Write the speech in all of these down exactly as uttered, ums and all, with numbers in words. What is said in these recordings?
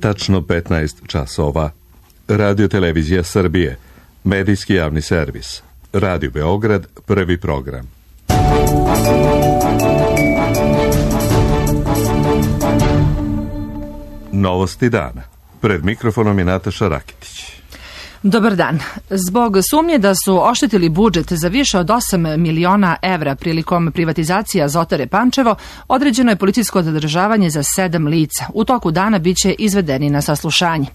Tačno petnaest časova. Radio Televizija Srbije, medijski javni servis. Radio Beograd, prvi program. Novosti dana. Pred mikrofonom je Nataša Rakitić. Dobar dan. Zbog sumnje da su oštetili budžet za više od osam miliona evra prilikom privatizacije Azotare Pančevo, određeno je policijsko zadržavanje za sedam lica. U toku dana biće izvedeni na saslušanje.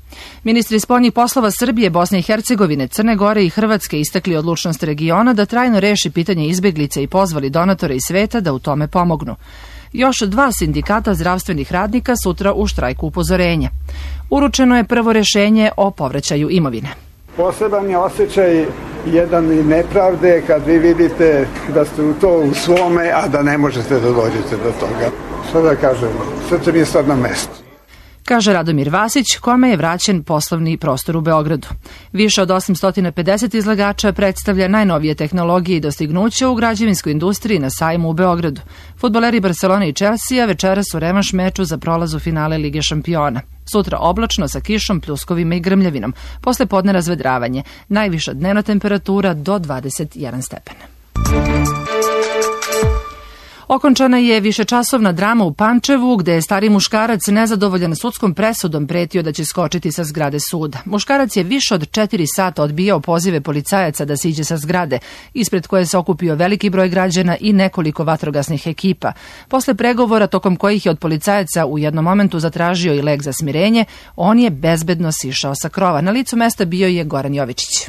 Ministri spoljnih poslova Srbije, Bosne i Hercegovine, Crne Gore i Hrvatske istakli odlučnost regiona da trajno reši pitanje izbeglica i pozvali donatore iz sveta da u tome pomognu. Još dva sindikata zdravstvenih radnika sutra u štrajku upozorenja. Uručeno je prvo rešenje o povraćaju imovine. Poseban je osjećaj jedan i nepravde kad vi vidite da ste u to u svome, a da ne možete da dođete do toga. Šta da kažem, srce mi je sad na mestu. Kaže Radomir Vasić, kome je vraćen poslovni prostor u Beogradu. Više od osamsto pedeset izlagača predstavlja najnovije tehnologije i dostignuća u građevinskoj industriji na sajmu u Beogradu. Fudbaleri Barcelone i Chelsea večeras u revanš meču za prolaz u finale Lige šampiona. Sutra oblačno sa kišom, pljuskovima i grmljavinom. Posle podne razvedravanje. Najviša dnevna temperatura do dvadeset jedan stepen. Okončana je višečasovna drama u Pančevu, gde je stari muškarac nezadovoljan sudskom presudom pretio da će skočiti sa zgrade suda. Muškarac je više od četiri sata odbijao pozive policajaca da siđe sa zgrade, ispred koje se okupio veliki broj građana i nekoliko vatrogasnih ekipa. Posle pregovora, tokom kojih je od policajaca u jednom momentu zatražio i lek za smirenje, on je bezbedno sišao sa krova. Na licu mesta bio je Goran Jovičić.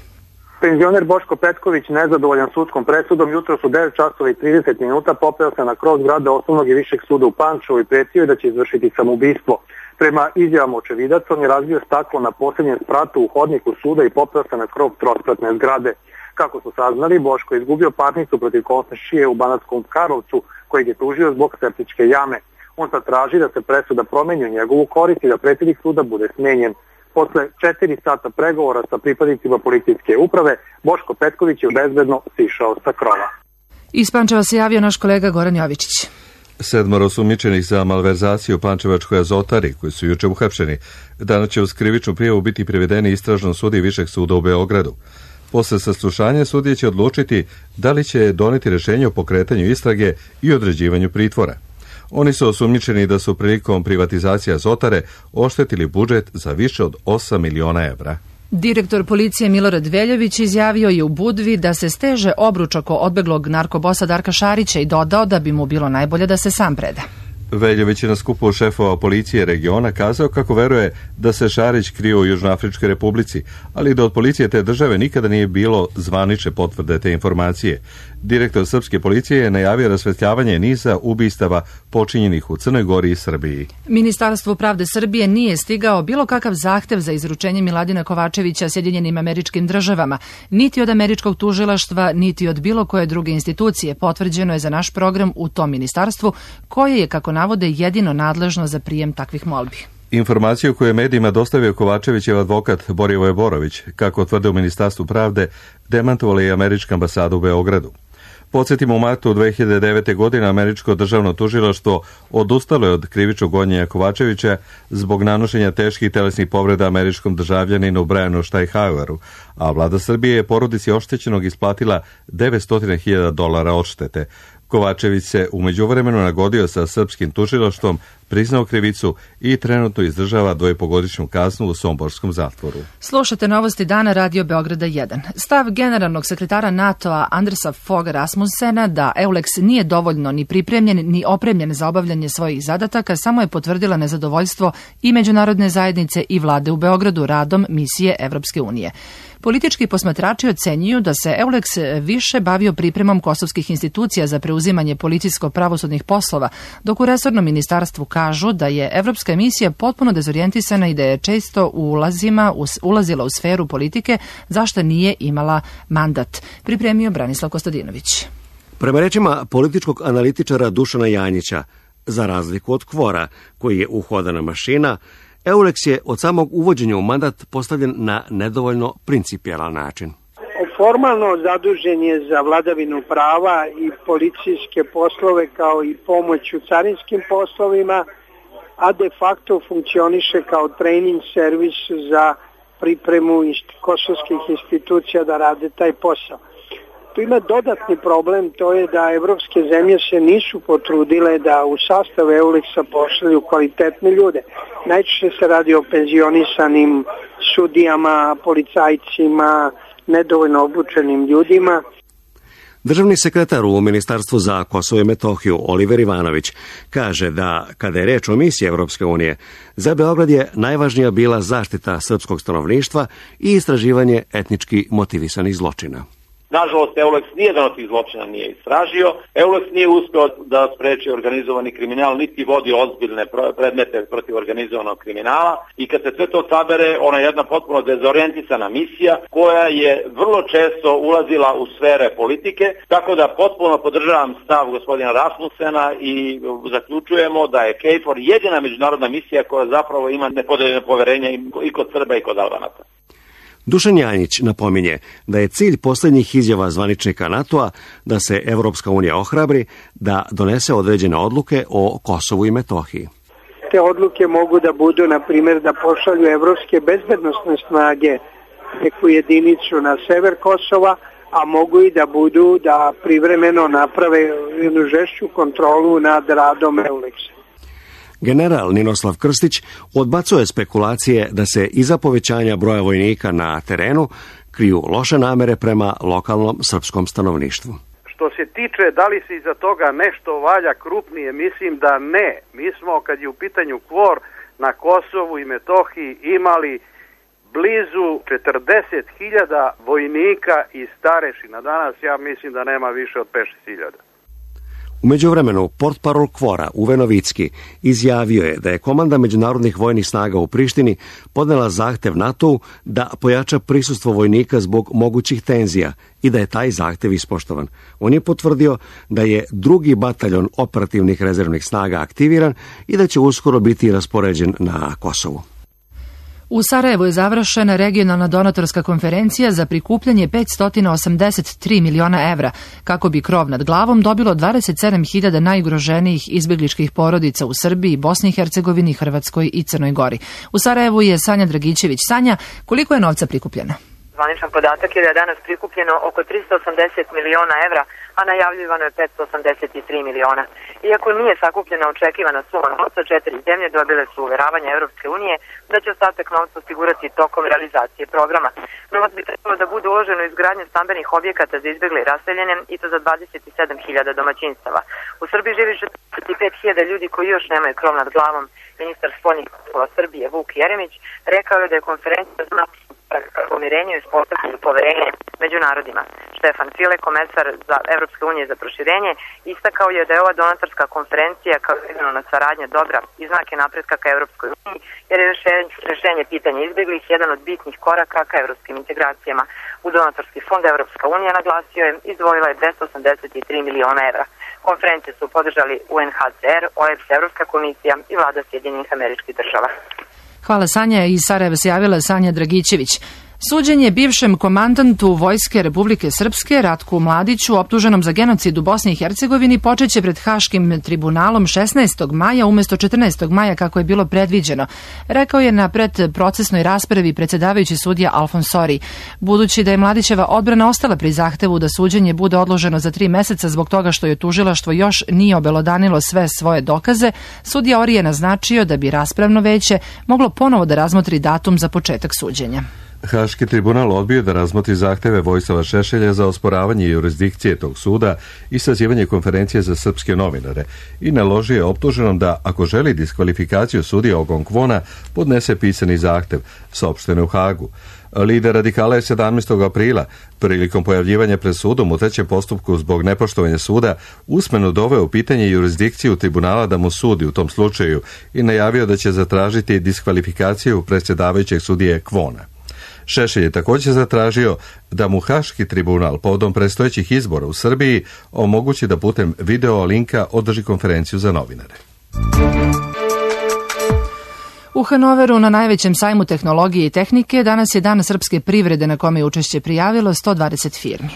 Penzioner Boško Petković, nezadovoljan sudskom presudom, jutros u devet časova i trideset minuta popeo se na krov zgrade Osnovnog i Višeg suda u Pančevu i pretio je da će izvršiti samoubistvo. Prema izjavama očevidaca, on je razbio staklo na posljednjem spratu u hodniku suda i popeo se na krov trospratne zgrade. Kako su saznali, Boško je izgubio parnicu protiv komšije u Banatskom Karlovcu, kojeg je tužio zbog septičke jame. On sad traži da se presuda promeni u njegovu korist i da predsjednik suda bude smenjen. Posle četiri sata pregovora sa pripadnicima policijske uprave, Boško Petković je bezbedno sišao sa krova. Iz Pančeva se javio naš kolega Goran Jovičić. Sedmoro osumnjičenih za malverzaciju u Pančevačkoj Azotari, koji su juče uhapšeni, danas će uz krivičnu prijavu biti privedeni istražnom sudiji Višeg suda u Beogradu. Posle saslušanja sudija će odlučiti da li će doneti rešenje o pokretanju istrage i određivanju pritvora. Oni su osumnjičeni da su prilikom privatizacije Azotare oštetili budžet za više od osam miliona evra. Direktor policije Milorad Veljović izjavio je u Budvi da se steže obruč oko odbeglog narkobosa Darka Šarića i dodao da bi mu bilo najbolje da se sam preda. Veljović je na skupu šefova policije regiona kazao kako veruje da se Šarić krio u Južnoafričkoj republici, ali da od policije te države nikada nije bilo zvanične potvrde te informacije. Direktor srpske policije je najavio rasvetljavanje niza ubistava počinjenih u Crnoj Gori i Srbiji. Ministarstvo pravde Srbije nije stigao bilo kakav zahtev za izručenje Miladina Kovačevića Sjedinjenim Američkim Državama, niti od američkog tužilaštva, niti od bilo koje druge institucije. Potvrđeno je za naš program u tom ministarstvu, koje je, kako navode, jedino nadležno za prijem takvih molbi. Informaciju koju je medijima dostavio Kovačevićev advokat Borivoje Borović, kako tvrde u Ministarstvu pravde, demantovala je američka ambasada u Beogradu. Podsjetimo, u martu dve hiljade devete. godine američko državno tužilaštvo odustalo je od krivičnog gonjenja Kovačevića zbog nanošenja teških telesnih povreda američkom državljaninu Brianu Štajhaueru, a vlada Srbije je porodici oštećenog isplatila devetsto hiljada dolara odštete. Kovačević se u međuvremenu nagodio sa srpskim tužilaštvom, priznao krivicu i trenutno izdržava dvojepogodišnju kaznu u somborskom zatvoru. Slušate novosti dana Radio Beograda jedan. Stav generalnog sekretara NATO-a Andersa Fogha Rasmussena da EULEX nije dovoljno ni pripremljen ni opremljen za obavljanje svojih zadataka samo je potvrdila nezadovoljstvo i međunarodne zajednice i vlade u Beogradu radom misije Evropske unije. Politički posmatrači ocenjuju da se EULEX više bavio pripremom kosovskih institucija za preuzimanje policijsko-pravosudnih poslova, dok u resornom ministarstvu kažu da je evropska misija potpuno dezorijentisana i da je često ulazima, ulazila u sferu politike, zašto nije imala mandat. Pripremio Branislav Kostadinović. Prema rečima političkog analitičara Dušana Janjića, za razliku od Kvora, koji je uhodana mašina, EULEX je od samog uvođenja u mandat postavljen na nedovoljno principijelan način. Formalno zadužen je za vladavinu prava i policijske poslove kao i pomoć u carinskim poslovima, a de facto funkcioniše kao trening servis za pripremu kosovskih institucija da rade taj posao. Tu ima dodatni problem, to je da evropske zemlje se nisu potrudile da u sastav Euleksa pošalju kvalitetne ljude. Najčešće se radi o penzionisanim sudijama, policajcima, nedovoljno obučenim ljudima. Državni sekretar u Ministarstvu za Kosovo i Metohiju Oliver Ivanović kaže da kada je reč o misiji Evropske unije, za Beograd je najvažnija bila zaštita srpskog stanovništva i istraživanje etnički motivisanih zločina. Nažalost, Euleks nijedan od tih zločina nije istražio. Euleks nije uspeo da spreči organizovani kriminal, niti vodi ozbiljne predmete protiv organizovanog kriminala. I kad se sve to sabere, ona je jedna potpuno dezorijentisana misija koja je vrlo često ulazila u sfere politike, tako da potpuno podržavam stav gospodina Rasmussena i zaključujemo da je KFOR jedina međunarodna misija koja zapravo ima nepodeljeno poverenje i kod Srba i kod Albanaca. Dušan Janjić napominje da je cilj posljednjih izjava zvaničnika NATO-a da se Evropska unija ohrabri da donese određene odluke o Kosovu i Metohiji. Te odluke mogu da budu, na primjer, da pošalju evropske bezbednosne snage neku jedinicu na sever Kosova, a mogu i da budu da privremeno naprave jednu žešću kontrolu nad radom Euleksa. General Ninoslav Krstić odbacuje spekulacije da se iza povećanja broja vojnika na terenu kriju loše namere prema lokalnom srpskom stanovništvu. Što se tiče da li se iza toga nešto valja krupnije, mislim da ne. Mi smo, kad je u pitanju KFOR, na Kosovu i Metohiji imali blizu četrdeset hiljada vojnika i starešina. Danas ja mislim da nema više od pet šest hiljada. U međuvremenu, portparol KFOR-a Uwe Novicki izjavio je da je komanda međunarodnih vojnih snaga u Prištini podnela zahtev NATO-u da pojača prisustvo vojnika zbog mogućih tenzija i da je taj zahtev ispoštovan. On je potvrdio da je drugi bataljon operativnih rezervnih snaga aktiviran i da će uskoro biti raspoređen na Kosovu. U Sarajevu je završena regionalna donatorska konferencija za prikupljanje petsto osamdeset tri miliona evra, kako bi krov nad glavom dobilo dvadeset sedam hiljada najugroženijih izbjegličkih porodica u Srbiji, Bosni i Hercegovini, Hrvatskoj i Crnoj Gori. U Sarajevu je Sanja Dragićević. Sanja, koliko je novca prikupljeno? Zvaničan podatak je da je danas prikupljeno oko tristo osamdeset miliona evra, a najavljivano je petsto osamdeset tri miliona. Iako nije sakupljena očekivana suma novca, četiri zemlje dobile su uveravanje Evropske unije da će ostatak novca osigurati tokom realizacije programa. Novac bi trebalo da bude uloženo u izgradnju stambenih objekata za izbjegle i raseljene, i to za dvadeset sedam hiljada domaćinstava. U Srbiji živi četrdeset pet hiljada ljudi koji još nemaju krov nad glavom. Ministar spoljnih poslova Srbije Vuk Jeremić rekao je da je konferencija znači pomirenju i uspostavljanju poverenja među narodima. Štefan File, komesar za Evropske unije za proširenje, istakao je da je ova donatorska konferencija kao regionalna saradnja dobra i znak je napretka ka Evropskoj uniji, jer je rešenje pitanja izbjeglih jedan od bitnih koraka ka evropskim integracijama. U donatorski fond Evropska unija, naglasio je, izdvojila je dvesta osamdeset tri miliona evra. Konferencije su podržali U N H C R, O E B S, Evropska komisija i vlada Sjedinjenih Američkih Država. Hvala, Sanja. Iz Sarajeva se javila Sanja Dragićević. Suđenje bivšem komandantu Vojske Republike Srpske Ratku Mladiću, optuženom za genocid u Bosni i Hercegovini, počeće pred Haškim tribunalom šesnaestog maja umjesto četrnaestog maja kako je bilo predviđeno, rekao je na predprocesnoj raspravi predsjedavajući sudija Alfonsori. Budući da je Mladićeva odbrana ostala pri zahtevu da suđenje bude odloženo za tri meseca zbog toga što je tužilaštvo još nije obelodanilo sve svoje dokaze, sudija Ori je naznačio da bi raspravno veće moglo ponovo da razmotri datum za početak suđenja. Haški tribunal odbio da razmotri zahteve Vojislava Šešelja za osporavanje jurisdikcije tog suda i sazivanje konferencije za srpske novinare i naložio je optuženom da, ako želi diskvalifikaciju sudija Ogon Kvona, podnese pisani zahtev, saopšteno u Hagu. Lider radikala je sedamnaestog aprila, prilikom pojavljivanja pred sudom u trećem postupku zbog nepoštovanja suda, usmeno doveo u pitanje jurisdikciju tribunala da mu sudi u tom slučaju i najavio da će zatražiti diskvalifikaciju predsjedavajućeg sudije Kvona. Šešelj je također zatražio da mu Haški tribunal povodom predstojećih izbora u Srbiji omogući da putem video linka održi konferenciju za novinare. U Hanoveru, na najvećem sajmu tehnologije i tehnike, danas je dan srpske privrede na kome je učešće prijavilo sto dvadeset firmi.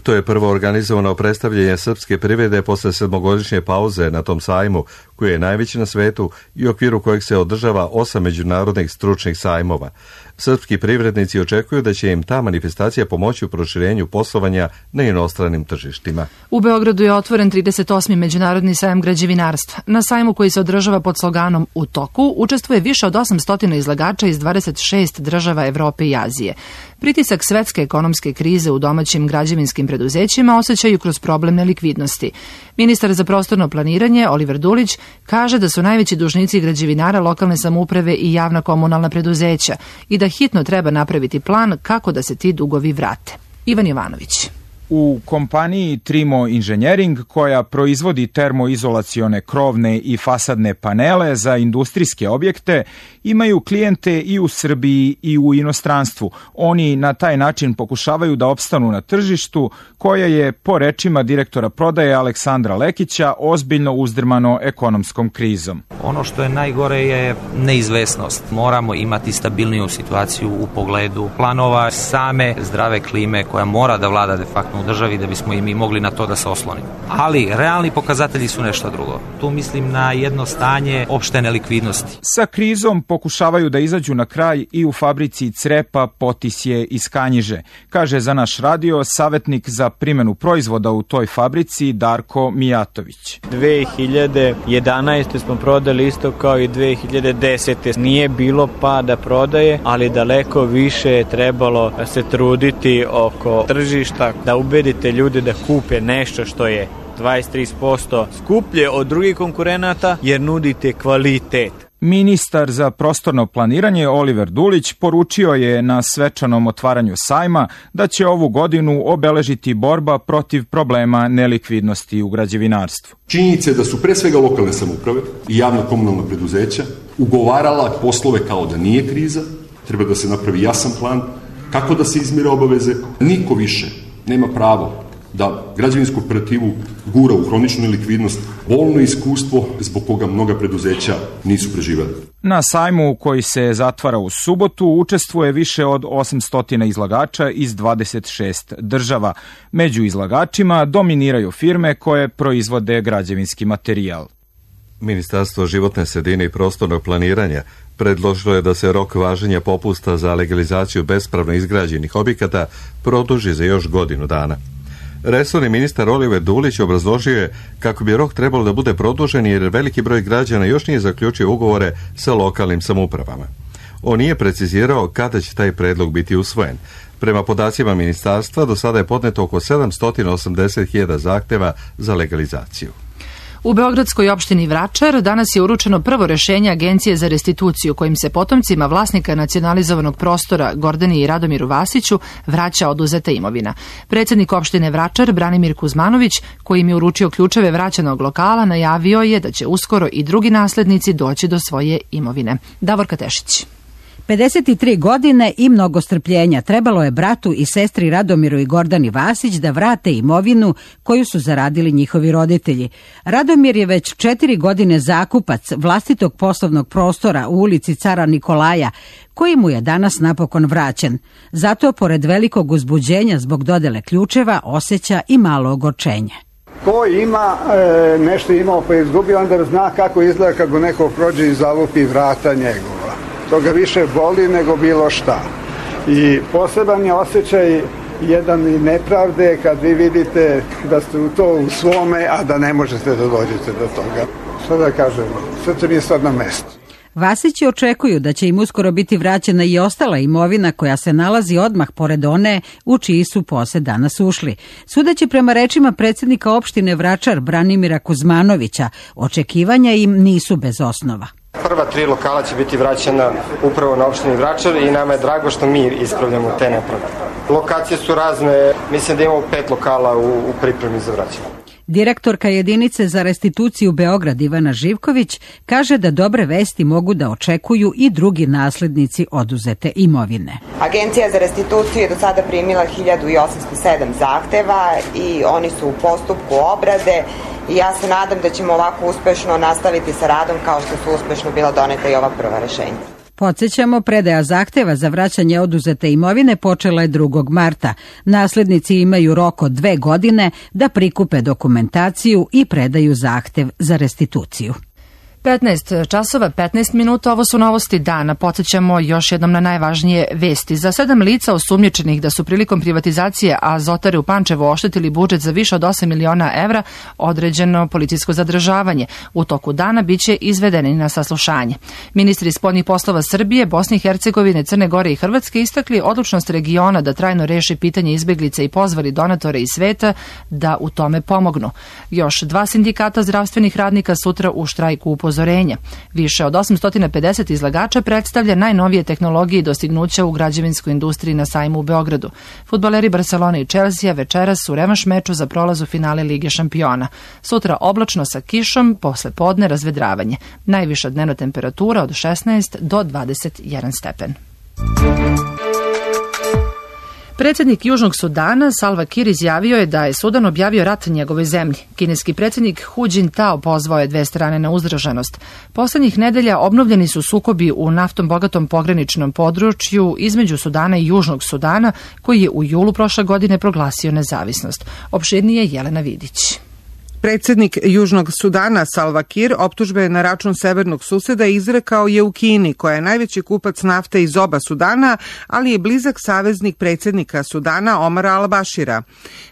To je prvo organizovano predstavljanje srpske privrede posle sedmogodišnje pauze na tom sajmu, koji je najveći na svetu i u okviru kojeg se održava osam međunarodnih stručnih sajmova. Srpski privrednici očekuju da će im ta manifestacija pomoći u proširenju poslovanja na inostranim tržištima. U Beogradu je otvoren trideset osmi Međunarodni sajam građevinarstva. Na sajmu koji se održava pod sloganom U toku učestvuje više od osamsto izlagača iz dvadeset šest država Evrope i Azije. Pritisak svetske ekonomske krize u domaćim građevinskim preduzećima osjećaju kroz problem nelikvidnosti. Ministar za prostorno planiranje Oliver Dulić kaže da su najveći dužnici građevinara lokalne samouprave i javna komunalna preduzeća i da hitno treba napraviti plan kako da se ti dugovi vrate. Ivan Jovanović. U kompaniji Trimo Engineering, koja proizvodi termoizolacione krovne i fasadne panele za industrijske objekte, imaju klijente i u Srbiji i u inostranstvu. Oni na taj način pokušavaju da opstanu na tržištu, koje je, po rečima direktora prodaje Aleksandra Lekića, ozbiljno uzdrmano ekonomskom krizom. Ono što je najgore je neizvesnost. Moramo imati stabilniju situaciju u pogledu planova same zdrave klime koja mora da vlada de facto u državi da bismo i mi mogli na to da se oslonimo. Ali realni pokazatelji su nešto drugo. Tu mislim na jedno stanje opšte nelikvidnosti. Sa krizom pokušavaju da izađu na kraj i u fabrici Crepa, Potisje iz Kanjiže, kaže za naš radio savjetnik za primjenu proizvoda u toj fabrici Darko Mijatović. dve hiljade jedanaeste. smo prodali isto kao i dve hiljade desete. Nije bilo pada prodaje, ali daleko više je trebalo se truditi oko tržišta, da ubedite ljude da kupe nešto što je dvadeset do trideset posto skuplje od drugih konkurenata jer nudite kvalitet. Ministar za prostorno planiranje Oliver Dulić poručio je na svečanom otvaranju sajma da će ovu godinu obeležiti borba protiv problema nelikvidnosti u građevinarstvu. Činjenica je da su pre svega lokalne samouprave i javna komunalna preduzeća ugovarala poslove kao da nije kriza, treba da se napravi jasan plan kako da se izmire obaveze. Niko više nema pravo da građevinsku operativu gura u hroničnu nelikvidnost, bolno iskustvo zbog koga mnoga preduzeća nisu preživjeli. Na sajmu koji se zatvara u subotu učestvuje više od osamsto izlagača iz dvadeset šest država. Među izlagačima dominiraju firme koje proizvode građevinski materijal. Ministarstvo životne sredine i prostornog planiranja predložilo je da se rok važenja popusta za legalizaciju bespravno izgrađenih objekata produži za još godinu dana. Resorni ministar Oliver Dulić obrazložio je kako bi rok trebalo da bude produžen jer veliki broj građana još nije zaključio ugovore sa lokalnim samoupravama. On nije precizirao kada će taj predlog biti usvojen. Prema podacima ministarstva do sada je podneto oko sedamsto osamdeset hiljada zahteva za legalizaciju. U beogradskoj opštini Vračar danas je uručeno prvo rešenje Agencije za restituciju kojim se potomcima vlasnika nacionalizovanog prostora Gordani i Radomiru Vasiću vraća oduzeta imovina. Predsjednik opštine Vračar Branimir Kuzmanović, koji im je uručio ključeve vraćenog lokala, najavio je da će uskoro i drugi naslednici doći do svoje imovine. Davorka Tešić. pedeset tri godine i mnogo strpljenja trebalo je bratu i sestri Radomiru i Gordani Vasić da vrate imovinu koju su zaradili njihovi roditelji. Radomir je već četiri godine zakupac vlastitog poslovnog prostora u ulici Cara Nikolaja, koji mu je danas napokon vraćen. Zato, pored velikog uzbuđenja zbog dodele ključeva, osjeća i malo ogorčenje. Ko ima e, nešto imao pa je izgubio, onda zna kako izgleda kako neko prođe i zalupi vrata njegova. To ga više boli nego bilo šta. I poseban je osjećaj jedan i nepravde kad vi vidite da ste u to u svome, a da ne možete da dođete do toga. Šta da kažemo, srce mi je sad na mestu. Vasići očekuju da će im uskoro biti vraćena i ostala imovina koja se nalazi odmah pored one u čiji su posed danas ušli. Sudeći prema rečima predsjednika opštine Vračar Branimira Kuzmanovića, očekivanja im nisu bez osnova. Prva tri lokala će biti vraćena upravo na opštini Vračar i nama je drago što mi ispravljamo te nepravde. Lokacije su razne, mislim da imamo pet lokala u, u pripremi za vraćanje. Direktorka jedinice za restituciju Beograd Ivana Živković kaže da dobre vesti mogu da očekuju i drugi naslednici oduzete imovine. Agencija za restituciju je do sada primila hiljadu osamsto sedam zahteva i oni su u postupku obrade i ja se nadam da ćemo ovako uspešno nastaviti sa radom kao što su uspešno bila doneta i ova prva rešenja. Podsjećamo, predaja zahteva za vraćanje oduzete imovine počela je drugog marta. Naslednici imaju rok od dve godine da prikupe dokumentaciju i predaju zahtev za restituciju. petnaest časova, petnaest minuta, ovo su novosti dana. Podsjećamo još jednom na najvažnije vesti. Za sedam lica osumnjičenih da su prilikom privatizacije Azotare u Pančevu oštetili budžet za više od osam miliona evra, određeno policijsko zadržavanje. U toku dana biće izvedeni na saslušanje. Ministri spoljnih poslova Srbije, Bosne i Hercegovine, Crne Gore i Hrvatske istakli odlučnost regiona da trajno reši pitanje izbeglica i pozvali donatore iz sveta da u tome pomognu. Još dva sindikata zdravstvenih radnika sutra u štrajku upozorenja. Više od osamsto pedeset izlagača predstavlja najnovije tehnologije i dostignuća u građevinskoj industriji na sajmu u Beogradu. Fudbaleri Barcelona i Chelsea večeras u revanš meču za prolaz u finale Lige šampiona. Sutra oblačno sa kišom, posle podne razvedravanje. Najviša dnevna temperatura od šesnaest do dvadeset jedan stepen. Predsjednik Južnog Sudana Salva Kiir izjavio je da je Sudan objavio rat njegovoj zemlji. Kineski predsjednik Hu Jintao pozvao je dve strane na uzdržanost. Poslednjih nedelja obnovljeni su sukobi u naftom bogatom pograničnom području između Sudana i Južnog Sudana, koji je u julu prošle godine proglasio nezavisnost. Opširnije Jelena Vidić. Predsjednik Južnog Sudana Salva Kiir optužbe na račun severnog suseda izrekao je u Kini, koja je najveći kupac nafte iz oba Sudana, ali je blizak saveznik predsjednika Sudana Omara al-Bashira.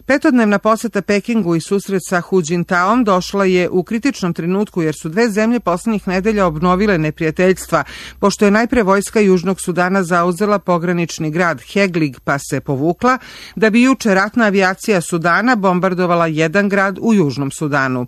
Petodnevna poseta Pekingu i susret sa Hu Jintaom došla je u kritičnom trenutku jer su dve zemlje poslednjih nedelja obnovile neprijateljstva, pošto je najpre vojska Južnog Sudana zauzela pogranični grad Heglig pa se povukla, da bi juče ratna avijacija Sudana bombardovala jedan grad u Južnom Sudanu.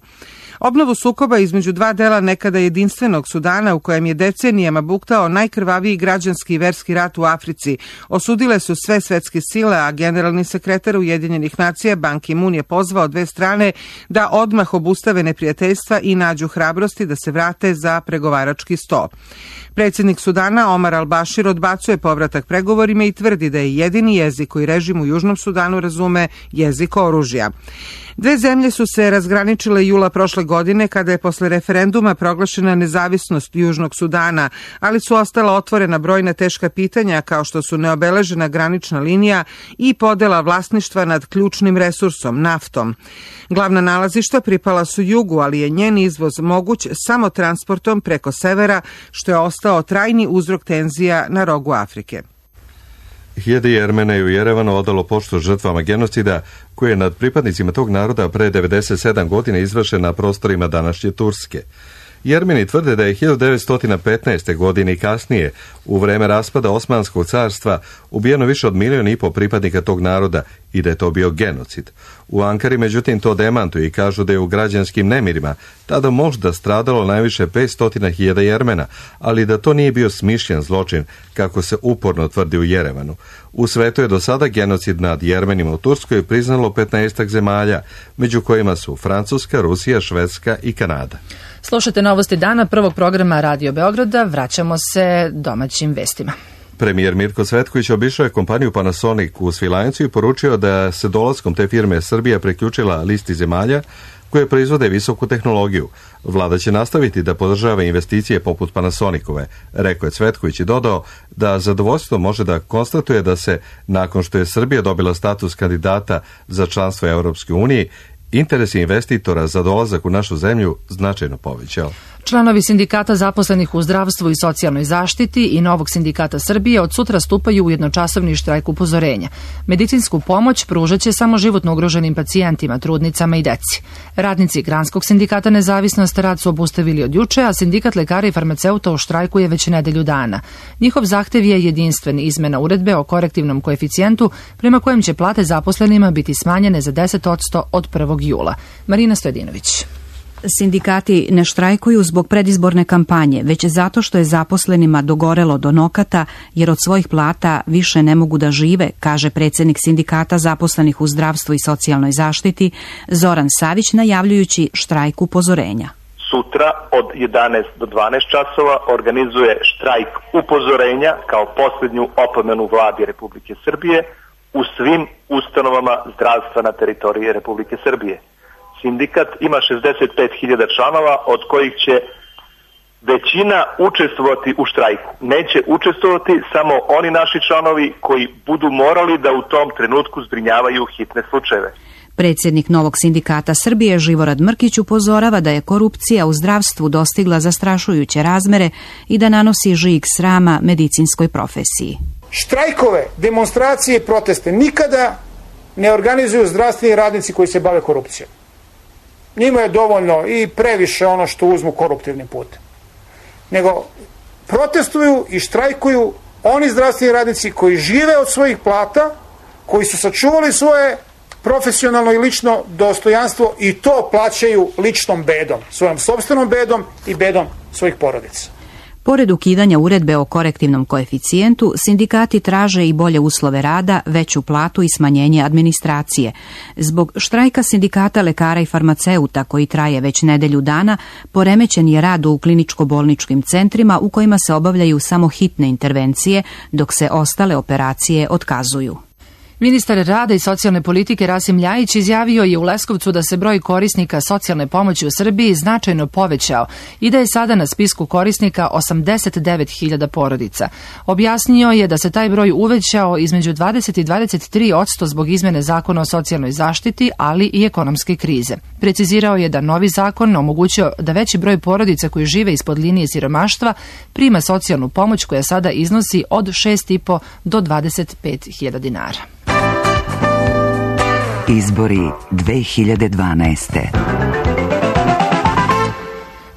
Obnovu sukoba između dva dela nekada jedinstvenog Sudana, u kojem je decenijama buktao najkrvaviji građanski i verski rat u Africi, osudile su sve svetske sile, a generalni sekretar Ujedinjenih nacija Ban Ki-moon je pozvao dve strane da odmah obustave neprijateljstva i nađu hrabrosti da se vrate za pregovarački sto. Predsjednik Sudana Omar al-Bashir odbacuje povratak pregovorima i tvrdi da je jedini jezik koji režim u Južnom Sudanu razume jezik oružja. Dve zemlje su se razgraničile jula prošle godine kada je posle referenduma proglašena nezavisnost Južnog Sudana, ali su ostala otvorena brojna teška pitanja kao što su neobeležena granična linija i podela vlasništva nad ključnim resursom, naftom. Glavna nalazišta pripala su jugu, ali je njen izvoz moguć samo transportom preko severa, što je ostao trajni uzrok tenzija na rogu Afrike. Hiljade Jermena je u Jerevanu odalo poštu žrtvama genocida koje je nad pripadnicima tog naroda pre devedeset sedam godina izvršen na prostorima današnje Turske. Jermeni tvrde da je hiljadu devetsto petnaeste. godine i kasnije, u vreme raspada Osmanskog carstva, ubijeno više od milion i po pripadnika tog naroda i da je to bio genocid. U Ankari, međutim, to demantuju i kažu da je u građanskim nemirima tada možda stradalo najviše petsto hiljada Jermena, ali da to nije bio smišljen zločin, kako se uporno tvrdi u Jerevanu. U svetu je do sada genocid nad Jermenima u Turskoj priznalo petnaestak zemalja, među kojima su Francuska, Rusija, Švedska i Kanada. Slušajte novosti dana prvog programa Radio Beograda. Vraćamo se domaćim vestima. Premijer Mirko Cvetković obišao je kompaniju Panasonic u Svilajncu i poručio da se dolaskom te firme Srbija preključila listi zemalja koje proizvode visoku tehnologiju. Vlada će nastaviti da podržava investicije poput Panasonicove, rekao je Cvetković i dodao da zadovoljstvo može da konstatuje da se, nakon što je Srbija dobila status kandidata za članstvo Europske unije, interes investitora za dolazak u našu zemlju značajno povećao. Članovi sindikata zaposlenih u zdravstvu i socijalnoj zaštiti i Novog sindikata Srbije od sutra stupaju u jednočasovni štrajk upozorenja. Medicinsku pomoć pružat će samo životno ugroženim pacijentima, trudnicama i deci. Radnici Granskog sindikata Nezavisnost rad su obustavili od juče, a sindikat lekara i farmaceuta u štrajku je već nedelju dana. Njihov zahtev je jedinstven izmena uredbe o korektivnom koeficijentu prema kojem će plate zaposlenima biti smanjene za deset posto od prvog jula. Marina Stojedinović. Sindikati ne štrajkuju zbog predizborne kampanje, već zato što je zaposlenima dogorelo do nokata, jer od svojih plata više ne mogu da žive, kaže predsjednik sindikata zaposlenih u zdravstvu i socijalnoj zaštiti Zoran Savić, najavljujući štrajk upozorenja. Sutra od jedanaest do dvanaest časova organizuje štrajk upozorenja kao posljednju opomenu vladi Republike Srbije u svim ustanovama zdravstva na teritoriji Republike Srbije. Sindikat ima šezdeset pet hiljada članova, od kojih će većina učestvovati u štrajku. Neće učestvovati samo oni naši članovi koji budu morali da u tom trenutku zbrinjavaju hitne slučajeve. Predsjednik Novog sindikata Srbije Živorad Mrkić upozorava da je korupcija u zdravstvu dostigla zastrašujuće razmere i da nanosi žig srama medicinskoj profesiji. Štrajkove, demonstracije i proteste nikada ne organizuju zdravstveni radnici koji se bave korupcijom. Njima je dovoljno i previše ono što uzmu koruptivnim putem. Nego protestuju i štrajkuju oni zdravstveni radnici koji žive od svojih plata, koji su sačuvali svoje profesionalno i lično dostojanstvo i to plaćaju ličnom bedom, svojom sopstvenom bedom i bedom svojih porodica. Pored ukidanja uredbe o korektivnom koeficijentu, sindikati traže i bolje uslove rada, veću platu i smanjenje administracije. Zbog štrajka sindikata lekara i farmaceuta, koji traje već nedelju dana, poremećen je rad u kliničko-bolničkim centrima u kojima se obavljaju samo hitne intervencije, dok se ostale operacije otkazuju. Ministar rada i socijalne politike Rasim Ljajić izjavio je u Leskovcu da se broj korisnika socijalne pomoći u Srbiji značajno povećao i da je sada na spisku korisnika osamdeset devet hiljada porodica. Objasnio je da se taj broj uvećao između dvadeset i dvadeset tri posto zbog izmene zakona o socijalnoj zaštiti, ali i ekonomske krize. Precizirao je da novi zakon omogućio da veći broj porodica koji žive ispod linije siromaštva prima socijalnu pomoć koja sada iznosi od šest i po do dvadeset pet hiljada dinara. Izbori dve hiljade dvanaeste.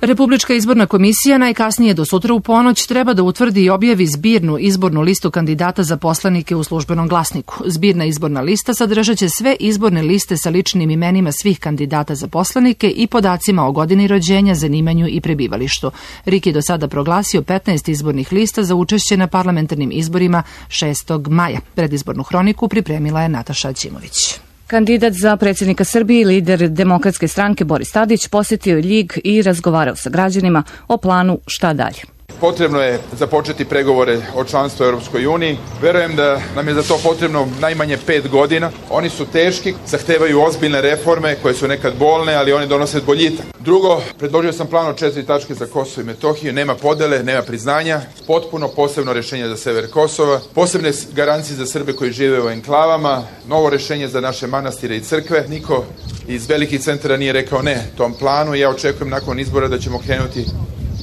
Republička izborna komisija najkasnije do sutra u ponoć treba da utvrdi i objavi zbirnu izbornu listu kandidata za poslanike u Službenom glasniku. Zbirna izborna lista sadržaće sve izborne liste sa ličnim imenima svih kandidata za poslanike i podacima o godini rođenja, zanimanju i prebivalištu. R I K je do sada proglasio petnaest izbornih lista za učešće na parlamentarnim izborima šestog maja. Predizbornu hroniku pripremila je Nataša Ćimović. Kandidat za predsjednika Srbije i lider Demokratske stranke Boris Tadić posjetio je Ljig i razgovarao sa građanima o planu šta dalje. Potrebno je započeti pregovore o članstvu u Europskoj uniji. Verujem da nam je za to potrebno najmanje pet godina. Oni su teški, zahtevaju ozbiljne reforme koje su nekad bolne, ali oni donose boljitak. Drugo, predložio sam plan od četiri tačke za Kosovo i Metohiju. Nema podele, nema priznanja, potpuno posebno rješenje za sever Kosova, posebne garancije za Srbe koji žive u enklavama, novo rješenje za naše manastire i crkve. Niko iz velikih centara nije rekao ne tom planu i ja očekujem nakon izbora da ćemo krenuti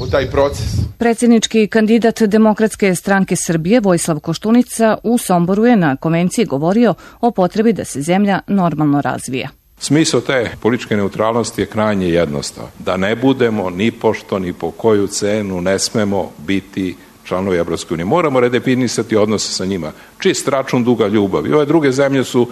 u taj proces. Predsjednički kandidat Demokratske stranke Srbije Vojislav Koštunica u Somboru je na konvenciji govorio o potrebi da se zemlja normalno razvija. Smisao te političke neutralnosti je krajnje jednostavan. Da ne budemo ni pošto ni po koju cenu ne smemo biti članovi Evropske unije. Moramo redefinisati odnose sa njima. Čist račun duga ljubav. I ove druge zemlje su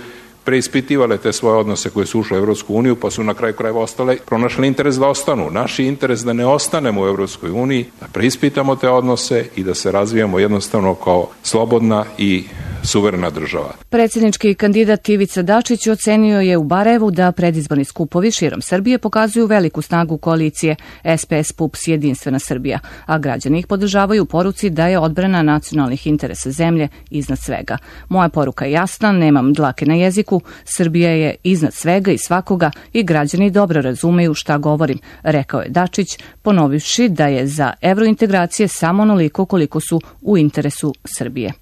preispitivale te svoje odnose koje su ušle u Evropsku uniju, pa su na kraju krajeva ostale, pronašli interes da ostanu. Naš interes da ne ostanemo u Evropskoj uniji, da preispitamo te odnose i da se razvijamo jednostavno kao slobodna i suverena država. Predsjednički kandidat Ivica Dačić ocenio je u Barajevu da predizborni skupovi širom Srbije pokazuju veliku snagu koalicije S P S P U P S Jedinstvena Srbija, a građani ih podržavaju u poruci da je odbrana nacionalnih interesa zemlje iznad svega. Moja poruka je jasna, nemam dlake na jeziku, Srbija je iznad svega i svakoga i građani dobro razumeju šta govorim, rekao je Dačić, ponovivši da je za evrointegracije samo onoliko koliko su u interesu Srbije.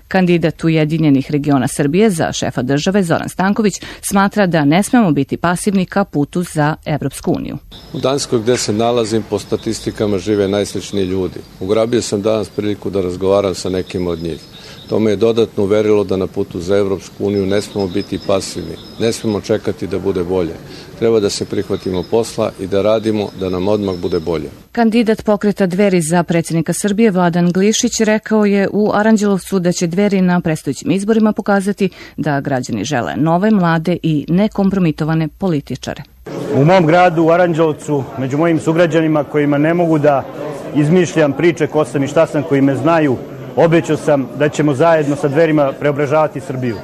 Kandidat Ujedinjenih regiona Srbije za šefa države Zoran Stanković smatra da ne smemo biti pasivni ka putu za Evropsku uniju. U Danskoj gde se nalazim po statistikama žive najsličniji ljudi. Ugrabio sam danas priliku da razgovaram sa nekim od njih. To me je dodatno uverilo da na putu za Evropsku uniju ne smemo biti pasivni. Ne smemo čekati da bude bolje. Treba da se prihvatimo posla i da radimo da nam odmah bude bolje. Kandidat pokreta Dveri za predsjednika Srbije Vladan Glišić rekao je u Aranđelovcu da će Dveri na predstojećim izborima pokazati da građani žele nove, mlade i nekompromitovane političare. U mom gradu, u Aranđelovcu, među mojim sugrađanima kojima ne mogu da izmišljam priče ko sam i šta sam, koji me znaju, obećao sam da ćemo zajedno sa Dverima preobražavati Srbiju.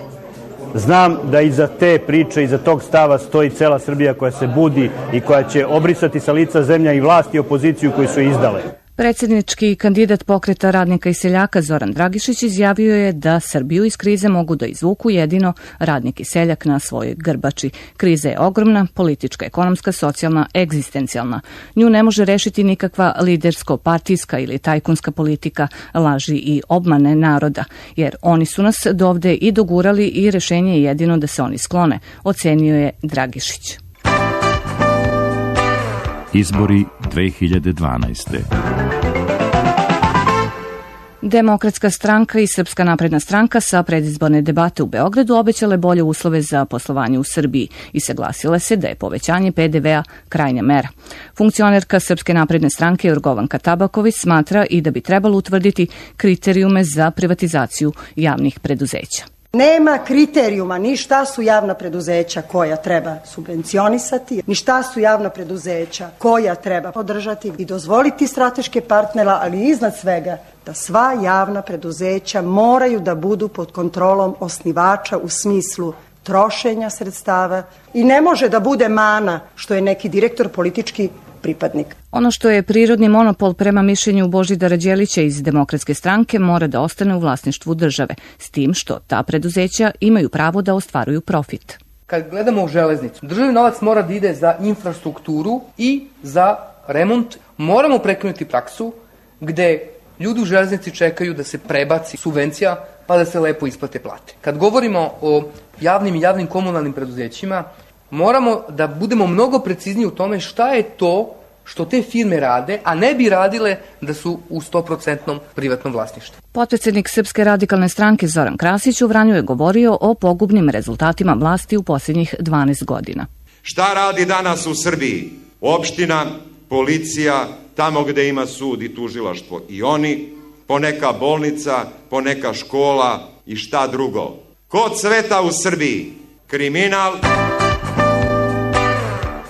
Znam da iza te priče, iza tog stava stoji cela Srbija koja se budi i koja će obrisati sa lica zemlja i vlast i opoziciju koji su izdale. Predsjednički kandidat Pokreta radnika i seljaka Zoran Dragišić izjavio je da Srbiju iz krize mogu da izvuku jedino radnik i seljak na svojoj grbači. Kriza je ogromna, politička, ekonomska, socijalna, egzistencijalna. Nju ne može rešiti nikakva lidersko-partijska ili tajkunska politika, laži i obmane naroda, jer oni su nas dovde i dogurali i rešenje je jedino da se oni sklone, ocenio je Dragišić. Izbori dve hiljade dvanaeste. Demokratska stranka i Srpska napredna stranka sa predizborne debate u Beogradu obećale bolje uslove za poslovanje u Srbiji i saglasile se da je povećanje pe de vea krajnja mera. Funkcionerka Srpske napredne stranke Jorgovanka Tabaković smatra i da bi trebalo utvrditi kriterijume za privatizaciju javnih preduzeća. Nema kriterijuma ni šta su javna preduzeća koja treba subvencionisati, ni šta su javna preduzeća koja treba podržati i dozvoliti strateške partnera, ali iznad svega da sva javna preduzeća moraju da budu pod kontrolom osnivača u smislu trošenja sredstava i ne može da bude mana što je neki direktor politički pripadnik. Ono što je prirodni monopol prema mišljenju Božidara Đelića iz Demokratske stranke mora da ostane u vlasništvu države, s tim što ta preduzeća imaju pravo da ostvaruju profit. Kad gledamo u železnicu, državni novac mora da ide za infrastrukturu i za remont. Moramo prekinuti praksu gde ljudi u železnici čekaju da se prebaci subvencija pa da se lepo isplate plate. Kad govorimo o javnim i javnim komunalnim preduzećima, moramo da budemo mnogo precizniji u tome šta je to što te firme rade, a ne bi radile da su u sto posto privatnom vlasništvu. Potpredsednik Srpske radikalne stranke Zoran Krasić u Vranju je govorio o pogubnim rezultatima vlasti u posljednjih dvanaest godina. Šta radi danas u Srbiji? Opština, policija, tamo gde ima sud i tužilaštvo i oni, poneka bolnica, poneka škola i šta drugo. Ko cveta u Srbiji? Kriminal.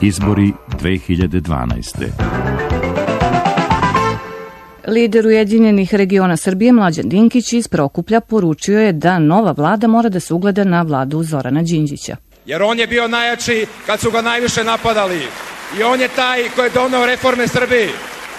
Izbori dve hiljade dvanaeste. Lider Ujedinjenih regiona Srbije Mlađan Dinkić iz Prokuplja poručio je da nova vlada mora da se ugleda na vladu Zorana Đinđića. Jer on je bio najjači kad su ga najviše napadali i on je taj koji je doneo reforme Srbiji.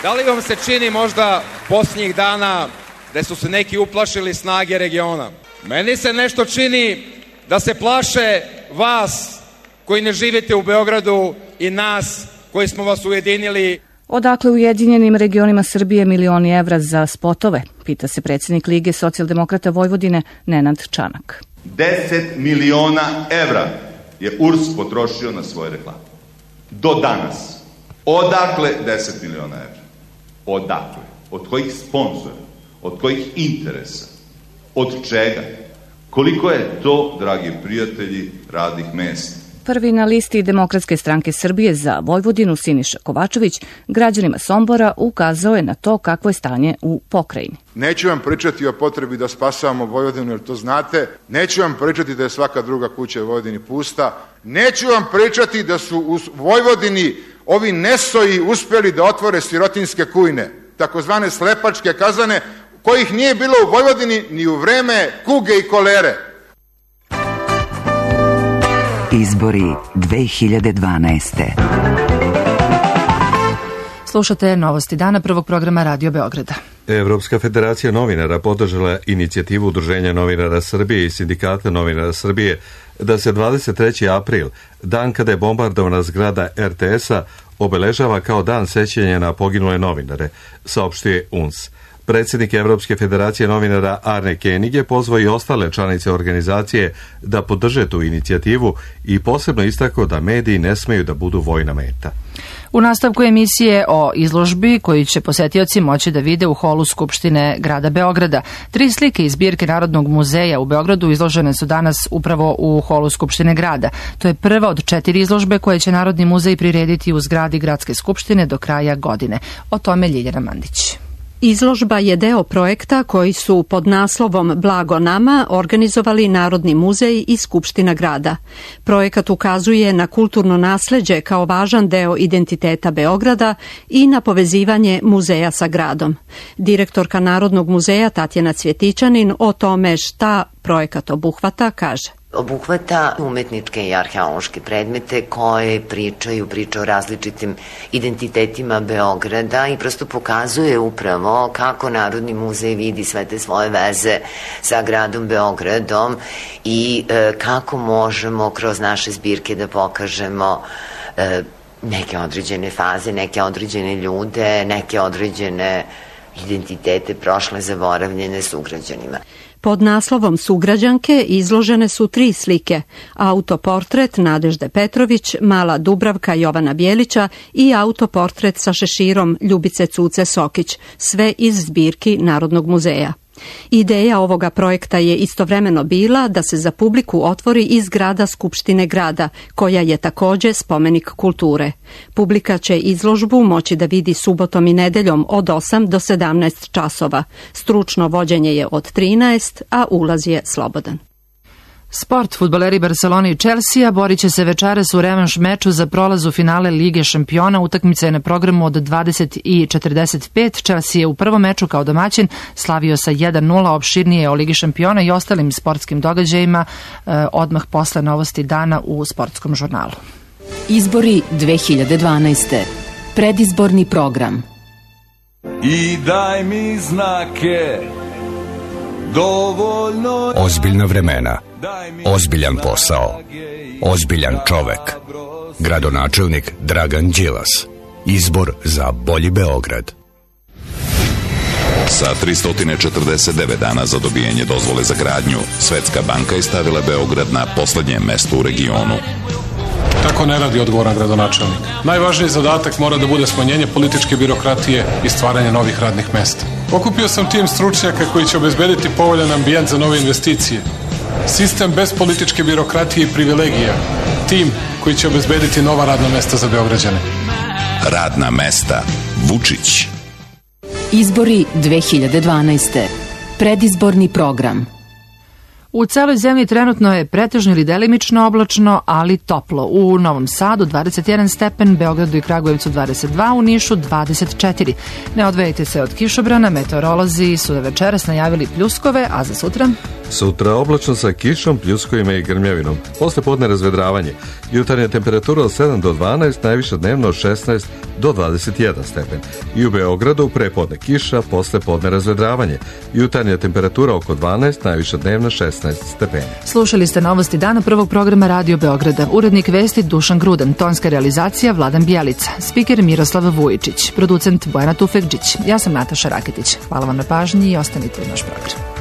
Da li vam se čini možda posljednjih dana da su se neki uplašili snage regiona? Meni se nešto čini da se plaše vas koji ne živite u Beogradu i nas koji smo vas ujedinili. Odakle Ujedinjenim regionima Srbije milioni evra za spotove, pita se predsjednik Lige socijaldemokrata Vojvodine Nenad Čanak. deset miliona evra je U R S potrošio na svoje reklame. Do danas. Odakle deset miliona evra? Odakle? Od kojih sponzora? Od kojih interesa? Od čega? Koliko je to, dragi prijatelji, radnih mesta? Prvi na listi Demokratske stranke Srbije za Vojvodinu Siniša Kovačević građanima Sombora ukazao je na to kakvo je stanje u pokrajini. Neću vam pričati o potrebi da spasavamo Vojvodinu, jer to znate. Neću vam pričati da je svaka druga kuća u Vojvodini pusta. Neću vam pričati da su u Vojvodini ovi nesoji uspjeli da otvore sirotinske kujne, takozvane slepačke kazane, kojih nije bilo u Vojvodini ni u vreme kuge i kolere. Izbori dve hiljade dvanaeste. Slušate novosti dana prvog programa Radio Beograda. Evropska federacija novinara podržala inicijativu Udruženja novinara Srbije i Sindikata novinara Srbije da se dvadeset treći april, dan kada je bombardovana zgrada er te es-a, obeležava kao dan sećanja na poginule novinare, saopštuje U N S. Predsjednik Evropske federacije novinara Arne Koenig je pozvao i ostale članice organizacije da podrže tu inicijativu i posebno istakao da mediji ne smeju da budu vojna meta. U nastavku emisije o izložbi koju će posetioci moći da vide u holu Skupštine grada Beograda. Tri slike iz zbirke Narodnog muzeja u Beogradu izložene su danas upravo u holu Skupštine grada. To je prva od četiri izložbe koje će Narodni muzej prirediti u zgradi Gradske skupštine do kraja godine. O tome Ljiljana Mandić. Izložba je deo projekta koji su pod naslovom Blago nama organizovali Narodni muzej i Skupština grada. Projekat ukazuje na kulturno nasleđe kao važan deo identiteta Beograda i na povezivanje muzeja sa gradom. Direktorka Narodnog muzeja Tatjana Cvjetićanin o tome šta projekat obuhvata kaže. Obuhvata umetničke i arheološke predmete koje pričaju, pričaju o različitim identitetima Beograda i prosto pokazuje upravo kako Narodni muzej vidi sve te svoje veze sa gradom Beogradom i e, kako možemo kroz naše zbirke da pokažemo e, neke određene faze, neke određene ljude, neke određene identitete prošle zaboravljene sugrađanima. Pod naslovom Sugrađanke izložene su tri slike: autoportret Nadežde Petrović, Mala Dubravka Jovana Bjelića i autoportret sa šeširom Ljubice Cuce Sokić, sve iz zbirki Narodnog muzeja. Ideja ovoga projekta je istovremeno bila da se za publiku otvori i zgrada Skupštine grada, koja je takođe spomenik kulture. Publika će izložbu moći da vidi subotom i nedeljom od osam do sedamnaest časova. Stručno vođenje je od trinaest, a ulaz je slobodan. Sport. Fudbaleri Barcelone i Chelsea borit će se večeras u revanš meču za prolaz u finale Lige šampiona. Utakmica je na programu od dvadeset i četrdeset pet. Chelsea je u prvom meču kao domaćin slavio sa jedan nula. Opširnije o Ligi šampiona i ostalim sportskim događajima eh, odmah posle novosti dana u sportskom žurnalu. Izbori dve hiljade dvanaeste. Predizborni program. I daj mi znake. Dovoljno... Ozbiljna vremena, ozbiljan posao, ozbiljan čovek. Gradonačelnik Dragan Đilas. Izbor za bolji Beograd. Sa tristo četrdeset devet dana za dobijanje dozvole za gradnju, Svetska banka je stavila Beograd na poslednje mesto u regionu. Tako ne radi odgovoran gradonačelnik. Najvažniji zadatak mora da bude smanjenje političke birokratije i stvaranje novih radnih mesta. Okupio sam tim stručnjaka koji će obezbediti povoljan ambijent za nove investicije. Sistem bez političke birokratije i privilegija. Tim koji će obezbediti nova radna mesta za Beograđane. Radna mesta. Vučić. Izbori dve hiljade dvanaeste. Predizborni program. U celoj zemlji trenutno je pretežno ili delimično oblačno, ali toplo. U Novom Sadu dvadeset jedan stepen, Beogradu i Kragujevcu dvadeset dva, u Nišu dvadeset četiri. Ne odvejte se od kišobrana, meteorolozi su da večeras najavili pljuskove, a za sutra? Sutra oblačno sa kišom, pljuskovima i grmljavinom. Posle podne razvedravanje. Jutarnja temperatura od sedam do dvanaest, najviša dnevno od šesnaest do dvadeset jedan stepen. I u Beogradu prepodne kiša, posle podne razvedravanje. Jutarnja temperatura oko dvanaest, najviša dnevno šesnaest stepeni. Slušali ste novosti dana prvog programa Radio Beograda. Urednik vesti Dušan Grudan, tonska realizacija Vladan Bjelica, spiker Miroslav Vujičić, producent Bojana Tufekđić. Ja sam Nataša Raketić. Hvala vam na pažnji i ostanite u naš program.